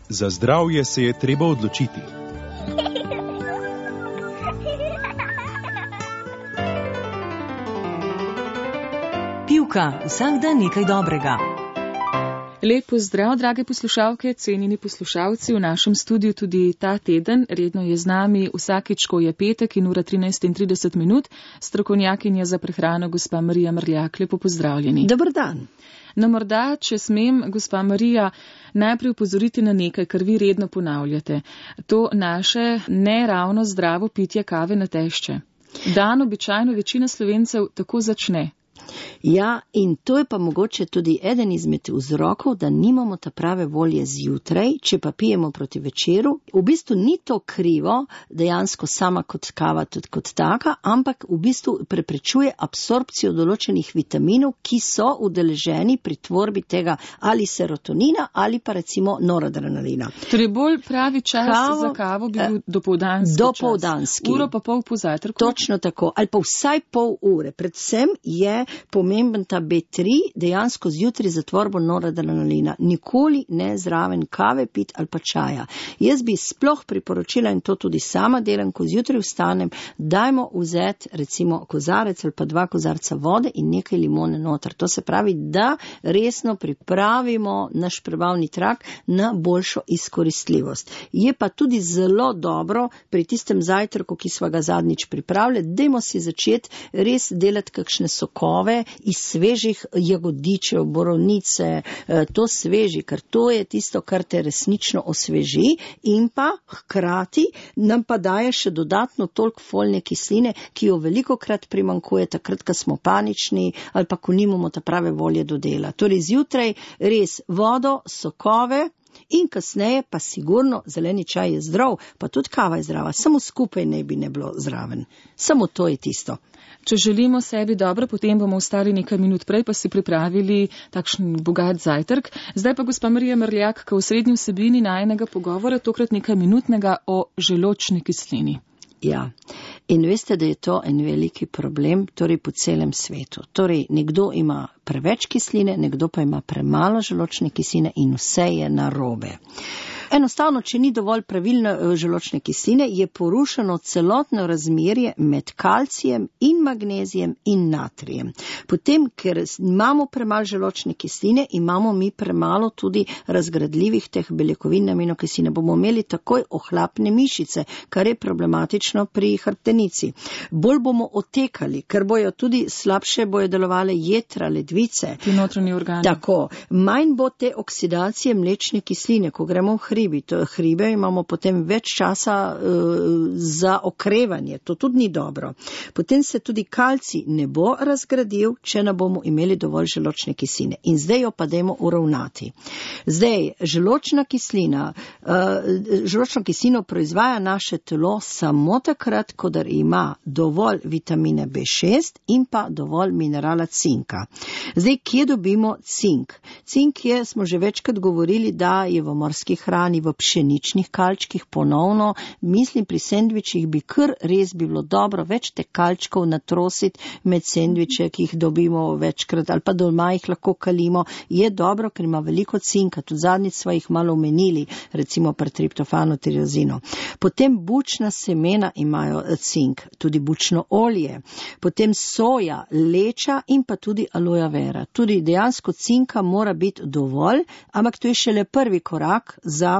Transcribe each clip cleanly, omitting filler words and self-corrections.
Za zdravje se je treba odločiti. Pivka, vsak dan nekaj dobrega. Lep pozdrav, drage poslušalke, cenjeni poslušalci. V našem studiu tudi ta teden redno je z nami vsakič, ko je petek in ura 13:30, strokovnjakinja za prehrano gospa Marija Mrljak. Lepo pozdravljeni. Dober dan. No, morda, če smem, gospa Marija, najprej upozoriti na nekaj, kar vi redno ponavljate. To naše neravno zdravo pitje kave na tešče. Dan običajno večina Slovencev tako začne. Ja, in to je pa mogoče tudi eden izmed vzrokov, da nimamo ta prave volje zjutraj, če pa pijemo proti večeru. V bistvu ni to krivo, dejansko sama kot kava tudi kot taka, ampak v bistvu preprečuje absorpcijo določenih vitaminov, ki so udeleženi pri tvorbi tega ali serotonina ali pa recimo noradrenalina. Torej bolj pravi čas za kavo bi bil dopoldanski. Uro pa pol po zajtrku. Točno tako, ali pa vsaj pol ure. Predvsem je pomemben ta B3 dejansko zjutraj za tvorbo noradrenalina. Nikoli ne zraven kave pit ali pa čaja. Jaz bi sploh priporočila, in to tudi sama delam, ko zjutraj vstanem, dajmo vzeti recimo kozarec ali pa 2 kozarca vode in nekaj limone noter. To se pravi, da resno pripravimo naš prebavni trakt na boljšo izkoristljivost. Je pa tudi zelo dobro pri tistem zajtrku, ki sva ga zadnjič pripravili, dajmo si začeti res delati kakšne sokove iz svežih jagodičev, borovnice, to sveži, ker to je tisto, kar te resnično osveži in pa hkrati nam pa daje še dodatno toliko folne kisline, ki jo velikokrat primanjkuje takrat, ko smo panični ali pa ko nimamo ta prave volje do dela. Torej zjutraj res vodo, sokove in kasneje pa sigurno zeleni čaj je zdrav, pa tudi kava je zdrava, samo skupaj ne bi ne bilo zraven. Samo to je tisto. Če želimo sebi dobro, potem bomo ostali nekaj minut prej, pa si pripravili takšen bogat zajtrk. Zdaj pa gospa Marija Mrljak, k osrednji vsebini najinega pogovora, tokrat nekaj minutnega o želodčni kislini. Ja, in veste, da je to en veliki problem, torej po celem svetu. Torej, nekdo ima preveč kisline, nekdo pa ima premalo želodčne kisline in vse je narobe. Enostavno, če ni dovolj pravilne želodčne kisline, je porušeno celotno razmerje med kalcijem in magnezijem in natrijem. Potem, ker imamo premalo želodčne kisline, imamo mi premalo tudi razgradljivih teh beljakovin, aminokisline. Bomo imeli takoj ohlapne mišice, kar je problematično pri hrbtenici. Bolj bomo otekali, ker bojo tudi slabše bojo delovale jetra, ledvice. Ti notranji organi. Tako. Manj bo te oksidacije mlečne kisline, ko gremo v hribe imamo potem več časa za okrevanje. To tudi ni dobro. Potem se tudi kalcij ne bo razgradil, če ne bomo imeli dovolj želodčne kisline. In zdaj jo pa dajmo uravnati. Zdaj, želodčna kislino proizvaja naše telo samo takrat, kadar ima dovolj vitamine B6 in pa dovolj minerala cinka. Zdaj, kje dobimo cink? Cink je, smo že večkrat govorili, da je v morskih hrani, v pšeničnih kalčkih ponovno. Mislim, pri sendvičih bi kar res bilo dobro več te kalčkov natrositi med sendviče, ki jih dobimo večkrat, ali pa doma jih lahko kalimo. Je dobro, ker ima veliko cinka. Tudi zadnjič sva jih malo omenili, recimo pri triptofanu, tirozinu. Potem bučna semena imajo cink, tudi bučno olje. Potem soja, leča in pa tudi aloja vera. Tudi dejansko cinka mora biti dovolj, ampak to je šele prvi korak za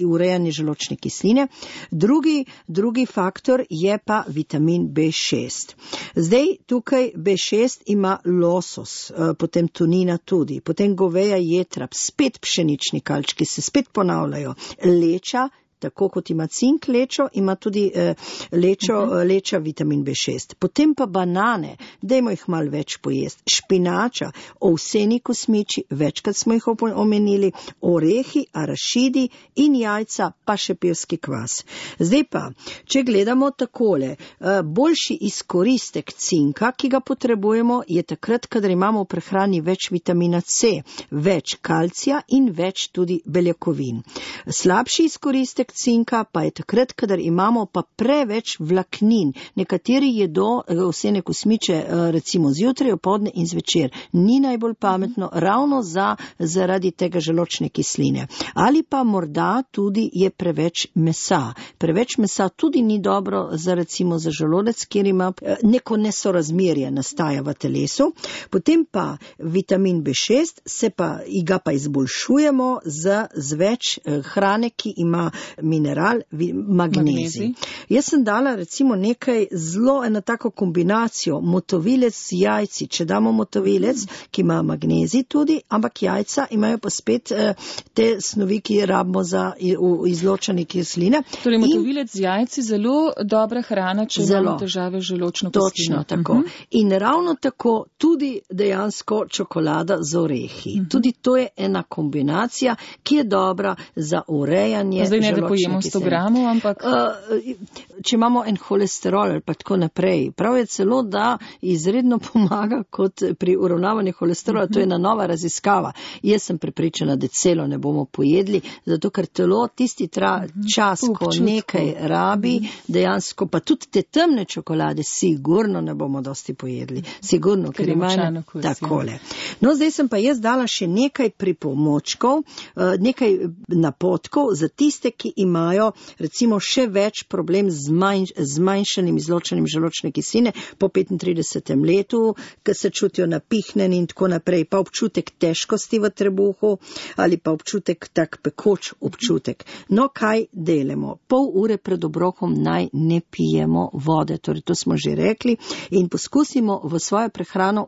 urejanje želodčne kisline. Drugi faktor je pa vitamin B6. Zdaj tukaj B6 ima losos, potem tunina tudi, potem goveja jetra, spet pšenični kalčki se spet ponavljajo, leča, tako kot ima cink lečo, ima tudi leča vitamin B6. Potem pa banane, dajmo jih malo več pojesti. Špinača, ovseni kosmiči, večkrat smo jih omenili, orehi, arašidi in jajca, pa še pevski kvas. Zdaj pa, če gledamo takole, boljši izkoristek cinka, ki ga potrebujemo, je takrat, kadar imamo v prehrani več vitamina C, več kalcija in več tudi beljakovin. Slabši izkoristek Poleg cinka pa je takrat, kadar imamo pa preveč vlaknin. Nekateri jedo ovsene kosmiče recimo zjutraj, opoldne in zvečer. Ni najbolj pametno ravno zaradi tega želodčne kisline. Ali pa morda tudi je preveč mesa. Preveč mesa tudi ni dobro recimo za želodec, kjer ima neko nesorazmerje nastaja v telesu. Potem pa vitamin B6 ga pa izboljšujemo z več hrane, ki ima mineral magnezij. Jaz sem dala recimo nekaj eno tako kombinacijo, motovilec z jajci. Če damo motovilec, ki ima magnezij tudi, ampak jajca imajo pa spet te snovi, ki rabimo za izločanje kisline. Torej motovilec z jajci zelo dobra hrana, če imamo težave z želodčno kislino. Točno tako. In ravno tako tudi dejansko čokolada z orehi. Tudi to je ena kombinacija, ki je dobra za urejanje želodčne kisline. Zdaj ne, da pojemo 100 gramov, ampak... Če imamo en holesterol ali pa tako naprej, prav je celo, da izredno pomaga kot pri uravnavanju holesterola. To je ena nova raziskava. Jaz sem prepričana, da celo ne bomo pojedli, zato ker telo tisti čas, ko nekaj rabi, dejansko pa tudi te temne čokolade sigurno ne bomo dosti pojedli. Sigurno, ker imajo takole. No, zdaj sem pa jaz dala še nekaj pripomočkov, nekaj napotkov za tiste, ki imajo recimo še več problem z zmanjšanim izločanjem želodčne kisline po 35. letu, ki se čutijo napihnjeni in tako naprej, pa občutek težkosti v trebuhu ali pa občutek tak pekoč občutek. No, kaj delamo? Pol ure pred obrokom naj ne pijemo vode, torej to smo že rekli, in poskusimo v svojo prehrano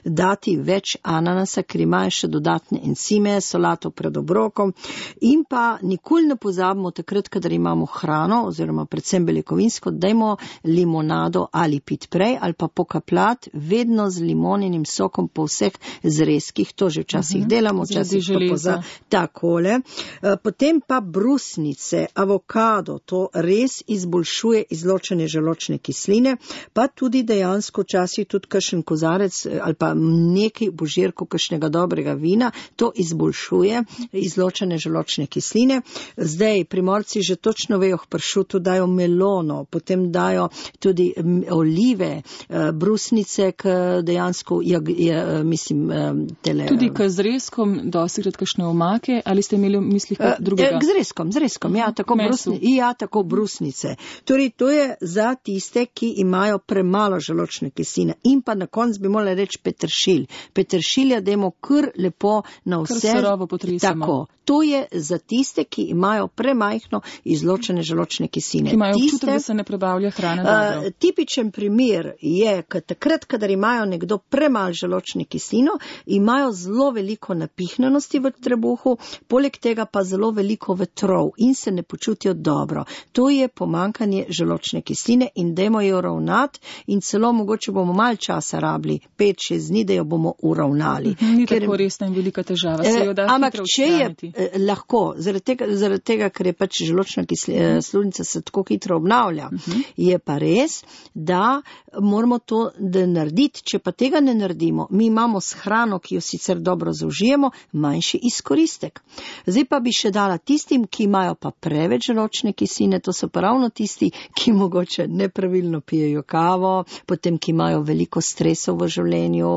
dati več ananasa, ker imajo še dodatne encime, solato pred obrokom, in pa nikoli ne pozabimo takrat, kadar imamo hrano oziroma predvsem beljakovinsko, dajmo limonado ali pit prej ali pa pokapljati vedno z limoninim sokom po vseh zrezkih, to že včasih delamo, včasih pa takole. Potem pa brusnice, avokado, to res izboljšuje izločanje želodčne kisline, pa tudi dejansko včasih tudi kakšen kozarec ali pa nekaj božirkov kakšnega dobrega vina, to izboljšuje izločanje želodčne kisline. Zdaj Primorci že točno vejo, k pršutu dajo melono, potem dajo tudi olive, brusnice, dejansko tudi k zrezkom dostikrat kakšne omake, ali ste imeli v mislih drugega? Z rezkom, ja, tako brusnice. Torej, to je za tiste, ki imajo premalo želodčne kisline. In pa na koncu bi morali reči peteršilj. Peteršilja dajmo kar lepo na vse. Kar surovo potresemo. Tako. To je za tiste, ki imajo premajhno izločene želodčne kisline. Ki imajo občutek, da se ne prebavlja hrana dobro. Tipičen primer je, takrat, kadar imajo nekdo premalo želodčne kislino, imajo zelo veliko napihnjenosti v trebuhu, poleg tega pa zelo veliko vetrov in se ne počutijo dobro. To je pomanjkanje želodčne kisline in dajmo jo ravnati in celo mogoče bomo malo časa rabili, 5-6 dni, da jo bomo uravnali. Ni tako resna in velika težava. Ampak če je lahko, zaradi tega, ker je pač želodčna sluznica se tako hitro obnavlja, je pa res, da moramo to narediti. Če pa tega ne naredimo, mi imamo s hrano, ki jo sicer dobro zaužijemo, manjši izkoristek. Zdaj pa bi še dala tistim, ki imajo pa preveč želodčne kisline, to so pa ravno tisti, ki mogoče nepravilno pijejo kavo, potem ki imajo veliko stresov v življenju,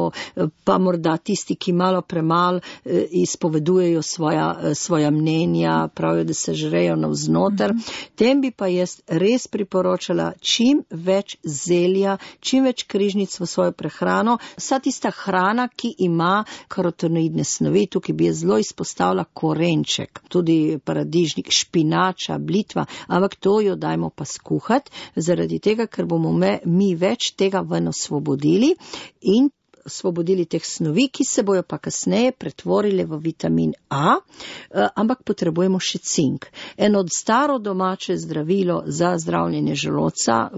pa morda tisti, ki malo premalo izpovedujejo svoja mnenja, pravijo, da se žrejo navznoter. Tem bi pa jaz res priporočala čim več zelja, čim več križnic v svojo prehrano. Vsa tista hrana, ki ima karotenoidne snovi, tukaj bi je zelo izpostavila korenček, tudi paradižnik, špinača, blitva, ampak to jo dajmo pa skuhati, zaradi tega, ker bomo mi več tega ven osvobodili in osvobodili teh snovi, ki se bojo pa kasneje pretvorili v vitamin A, ampak potrebujemo še cink. Eno od staro domače zdravilo za zdravljenje želodca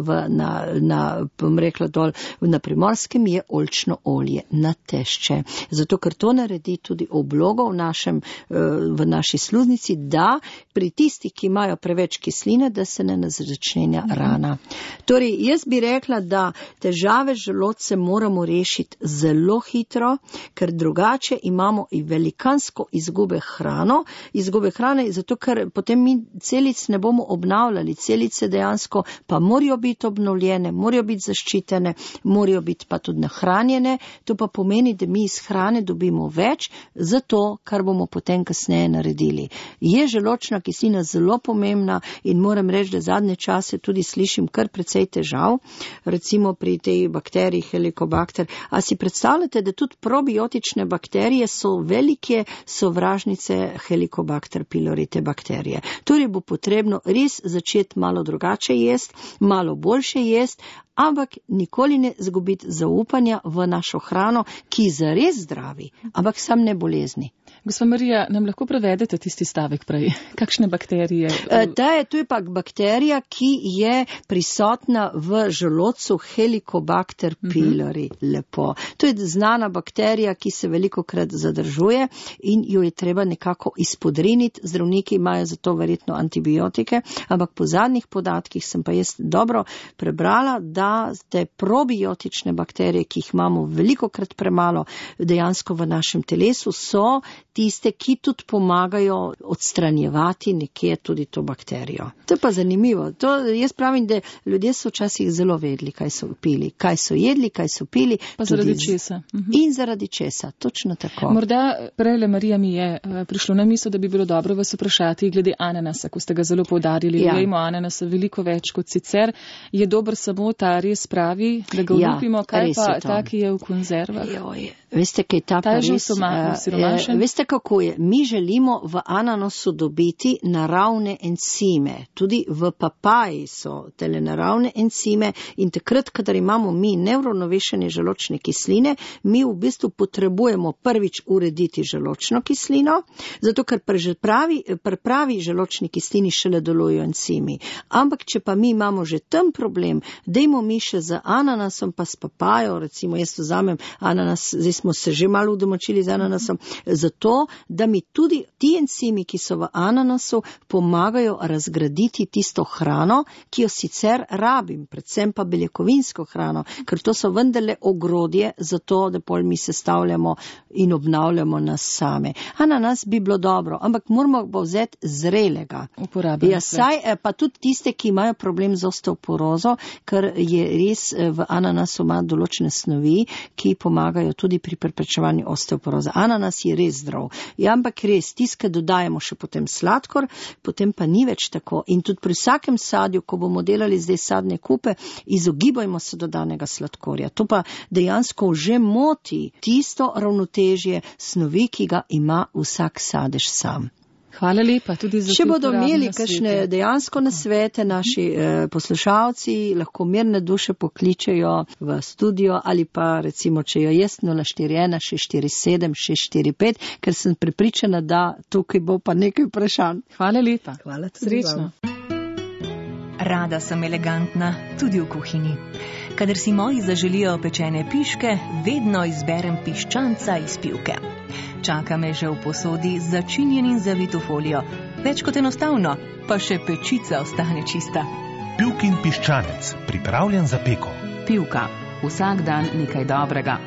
na Primorskem je oljčno olje na tešče. Zato, ker to naredi tudi oblogo v naši sluznici, da pri tistih, ki imajo preveč kisline, da se ne začenja rana. Torej, jaz bi rekla, da težave z želodcem moramo rešiti zelo hitro, ker drugače imamo i velikansko izgube hrane, zato ker potem mi celic ne bomo obnavljali. Celice dejansko pa morajo biti obnovljene, morajo biti zaščitene, morajo biti pa tudi nahranjene. To pa pomeni, da mi iz hrane dobimo več za to, kar bomo potem kasneje naredili. Je želodčna kislina zelo pomembna in moram reči, da zadnje čase tudi slišim kar precej težav, recimo pri tej bakteriji Helicobacter. A si predstavljate, da tudi probiotične bakterije so velike sovražnice Helicobacter pylori, te bakterije. Torej bo potrebno res začeti malo drugače jesti, malo boljše jesti, ampak nikoli ne zgubiti zaupanja v našo hrano, ki zares zdravi, ampak sam ne bolezni. Gospa Marija, nam lahko prevedete tisti stavek prej? Kakšne bakterije? To je pa bakterija, ki je prisotna v želodcu Helicobacter pylori. Lepo. To je znana bakterija, ki se velikokrat zadržuje in jo je treba nekako izpodriniti. Zdravniki imajo za to verjetno antibiotike, ampak po zadnjih podatkih sem pa jaz dobro prebrala, da te probiotične bakterije, ki jih imamo velikokrat premalo dejansko v našem telesu, so tiste, ki tudi pomagajo odstranjevati nekje tudi to bakterijo. To je pa zanimivo. Jaz pravim, da ljudje so včasih zelo vedeli, kaj so pili, kaj so jedli, kaj so pili. Pa zaradi česa. In zaradi česa, točno tako. Morda prejle, Marija, mi je prišlo na misel, da bi bilo dobro vas vprašati glede ananasa, ko ste ga zelo poudarili. Jejmo ananasa veliko več kot sicer. Je dober samo ta res pravi, da ga olupimo, kaj pa ta, ki je v konzervah? Veste, kaj ta pa res, veste, kako je. Mi želimo v ananasu dobiti naravne encime. Tudi v papaji so tele naravne encime in takrat, kadar imamo mi neuravnovešene želodčne kisline, mi v bistvu potrebujemo prvič urediti želodčno kislino, zato ker pri pravi želodčni kislini šele delujejo encimi. Ampak, če pa mi imamo že tam problem, dajmo mi še z ananasom pa s papajo, recimo jaz vzamem ananas, zdaj smo se že malo udomačili z ananasom, zato, da mi tudi ti encimi, ki so v ananasu, pomagajo razgraditi tisto hrano, ki jo sicer rabim, predvsem pa beljakovinsko hrano, ker to so vendarle ogrodje za to, da pol mi sestavljamo in obnavljamo nas same. Ananas bi bilo dobro, ampak moramo pa vzeti zrelega. Pa tudi tiste, ki imajo problem z osteoporozo, ker je res v ananasu ima določene snovi, ki pomagajo tudi pri preprečevanju osteoporoze. Ananas je res zdrav. Ampak res, tiske dodajamo še potem sladkor, potem pa ni več tako. In tudi pri vsakem sadju, ko bomo delali zdaj sadne kupe, izogibajmo se dodanega sladkorja. To pa dejansko že moti tisto ravnotežje snovi, ki ga ima vsak sadež sam. Hvala lepa tudi za to. Če bodo imeli kakšne dejansko nasvete naši poslušalci, lahko mirne duše pokličejo v studio ali pa recimo, če jo jest 041 647 645, ker sem prepričana, da tukaj bo pa nekaj vprašanj. Hvala lepa. Hvala tudi. Srečno. Rada sem elegantna, tudi v kuhinji. Kadar si moji zaželijo pečene piške, vedno izberem piščanca iz Pivke. Čaka me že v posodi začinjen in zavit v folijo. Več kot enostavno, pa še pečica ostane čista. Pivkin piščanec, pripravljen za peko. Pivka, vsak dan nekaj dobrega.